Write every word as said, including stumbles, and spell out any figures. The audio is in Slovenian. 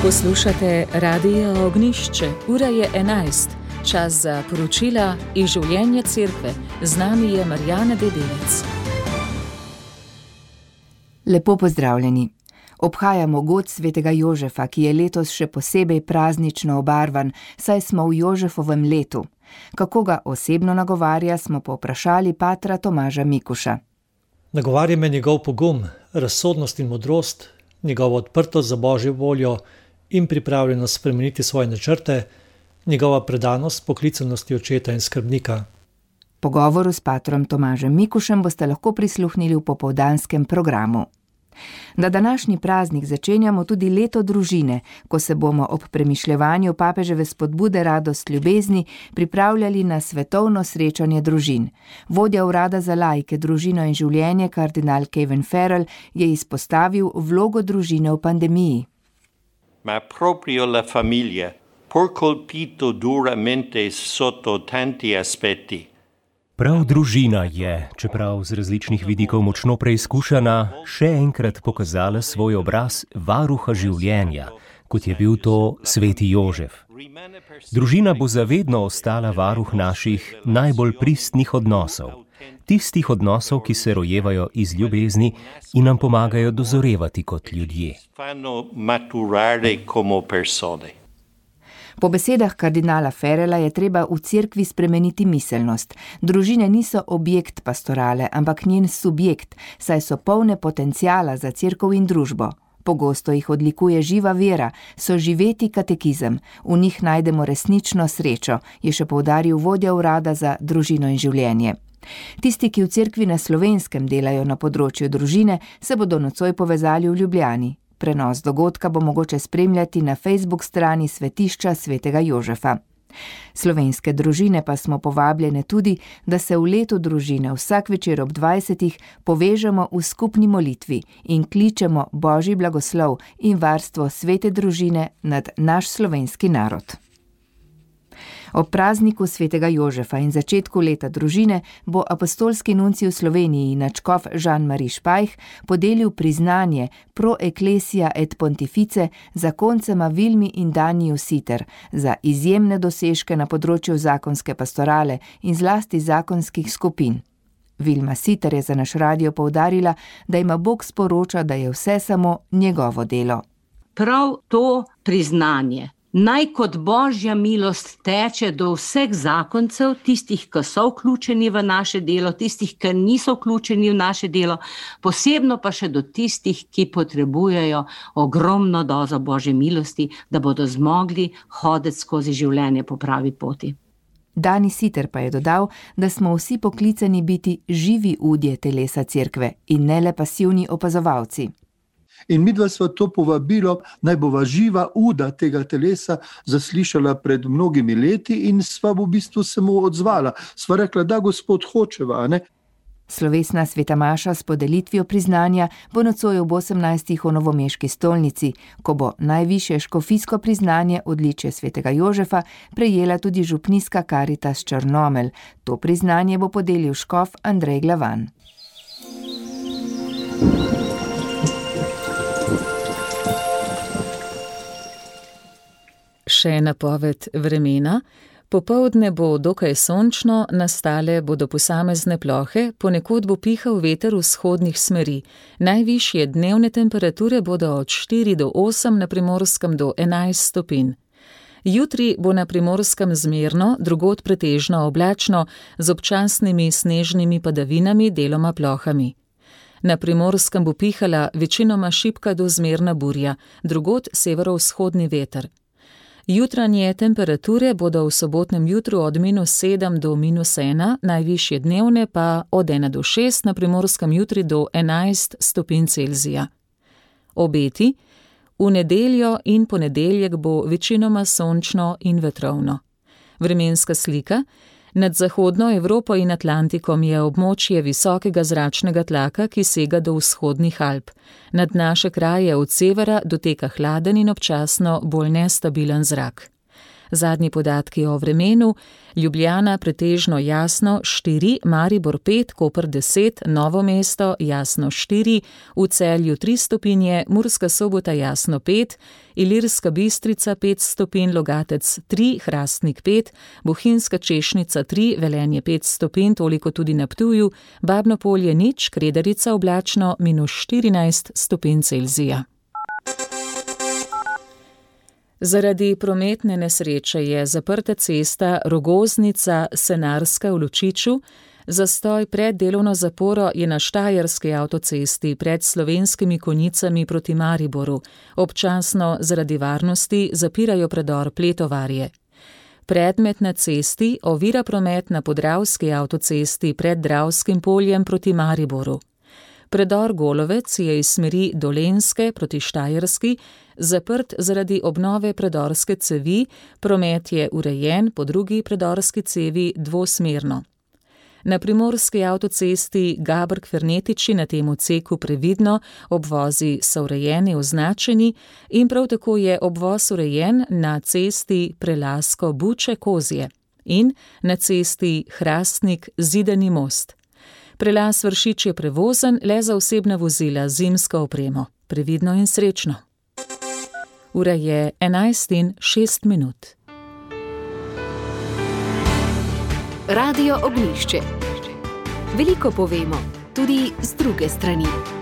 Poslušate Radio Ognjišče, ura je enajst, čas za poročila iz življenja cerkve. Z nami je Marjana Dedevec. Lepo pozdravljeni. Obhajamo god svetega Jožefa, ki je letos še posebej praznično obarvan, saj smo v Jožefovem letu. Kako ga osebno nagovarja, smo povprašali patra Tomaža Mikuša. Nagovarja me njegov pogum, razsodnost in modrost, njegova odprtost za Božjo voljo in pripravljenost spremeniti svoje načrte, njegova predanost poklicanosti očeta in skrbnika. Pogovoru s patrom Tomažem Mikušem boste lahko prisluhnili v popoldanskem programu. Na današnji praznik začenjamo tudi leto družine, ko se bomo ob premišljevanju papeževe spodbude Radost ljubezni pripravljali na svetovno srečanje družin. Vodja urada za laike, družino in življenje, kardinal Kevin Farrell, je izpostavil vlogo družine v pandemiji. Ma proprio la famiglia, pur colpito duramente sotto tanti aspetti. Prav družina je, čeprav z različnih vidikov močno preizkušana, še enkrat pokazala svoj obraz varuha življenja, kot je bil to sveti Jožef. Družina bo zavedno ostala varuh naših najbolj pristnih odnosov, tistih odnosov, ki se rojevajo iz ljubezni in nam pomagajo dozorevati kot ljudje. Po besedah kardinala Farrella je treba v cerkvi spremeniti miselnost. Družine niso objekt pastorale, ampak njen subjekt, saj so polne potenciala za cerkev in družbo. Pogosto jih odlikuje živa vera, so živeti katekizem, v njih najdemo resnično srečo, je še poudaril vodja urada za družino in življenje. Tisti, ki v cerkvi na Slovenskem delajo na področju družine, se bodo nocoj povezali v Ljubljani. Prenos dogodka bo mogoče spremljati na Facebook strani svetišča svetega Jožefa. Slovenske družine pa smo povabljene tudi, da se v letu družine vsak večer ob dvajsetih povežemo v skupni molitvi in kličemo Božji blagoslov in varstvo svete družine nad naš slovenski narod. Ob prazniku svetega Jožefa in začetku leta družine bo apostolski nuncij v Sloveniji nadškof Jean-Marie Špajh podelil priznanje Pro Ecclesia et Pontifice zakoncema Vilmi in Daniju Siter za izjemne dosežke na področju zakonske pastorale in zlasti zakonskih skupin. Vilma Siter je za naš radio poudarila, da ima Bog sporoča, da je vse samo njegovo delo. Prav to priznanje naj kot Božja milost teče do vseh zakoncev, tistih, ki so vključeni v naše delo, tistih, ki niso vključeni v naše delo, posebno pa še do tistih, ki potrebujejo ogromno dozo Božje milosti, da bodo zmogli hoditi skozi življenje po pravi poti. Dani Siter pa je dodal, da smo vsi poklicani biti živi udje telesa cerkve in ne le pasivni opazovalci. In midva sva to povabilo, naj bova živa uda tega telesa zaslišala pred mnogimi leti in sva v bistvu se mu odzvala. Sva rekla, da Gospod hočeva, ne? Slovesna sveta maša s podelitvijo priznanja bo nocoj ob osemnajstih v novomeški stolnici, ko bo najvišje škofijsko priznanje odličje svetega Jožefa prejela tudi župnijska Karitas Črnomelj. To priznanje bo podelil škof Andrej Glavan. Še napoved vremena. Popoldne bo dokaj sončno, nastale bodo posamezne plohe, ponekod bo pihal veter vzhodnih smeri. Najvišje dnevne temperature bodo od štiri do osem, na Primorskem do enajst stopinj. Jutri bo na Primorskem zmerno, drugod pretežno oblačno, z občasnimi snežnimi padavinami, deloma plohami. Na Primorskem bo pihala večinoma šibka do zmerna burja, drugod severovzhodni veter. Jutranje temperature bodo v sobotnem jutru od minus sedem do minus ena, najvišje dnevne pa od ena do šest, na Primorskem jutri do enajst stopinj Celzija. Obeti: v nedeljo in ponedeljek bo večinoma sončno in vetrovno. Vremenska slika: nad zahodno Evropo in Atlantikom je območje visokega zračnega tlaka, ki sega do vzhodnih Alp. Nad naše kraje od severa doteka hladen in občasno bolj nestabilen zrak. Zadnji podatki o vremenu: Ljubljana pretežno jasno štiri, Maribor pet, Koper deset, Novo mesto jasno štiri, v Celju tri stopinje, Murska Sobota jasno pet, Ilirska Bistrica pet stopinj, Logatec tri, Hrastnik pet, Bohinjska Češnica tri, Velenje pet stopinj, toliko tudi na Ptuju, Babno Polje nič, Kredarica oblačno minus štirinajst stopinj Celzija. Zaradi prometne nesreče je zaprta cesta Rogoznica-Senarska v Lučiču. Zastoj pred delovno zaporo je na Štajerski avtocesti pred Slovenskimi Konjicami proti Mariboru. Občasno zaradi varnosti zapirajo predor Pletovarje. Predmet na cesti ovira promet na Podravski avtocesti pred Dravskim poljem proti Mariboru. Predor Golovec je iz smeri Dolenjske proti Štajerski zaprt zaradi obnove predorske cevi, promet je urejen po drugi predorski cevi dvosmerno. Na primorski avtocesti Gabrk-Fernetiči na tem odseku previdno, obvozi so urejeni, označeni in prav tako je obvoz urejen na cesti Prelasko-Buče-Kozje in na cesti Hrastnik-Zidani most. Prelaz Vršič je prevozen le za osebna vozila z zimsko opremo. Previdno in srečno. Ura je enajst in šest minut. Radio Ognjišče. Veliko povemo, tudi z druge strani.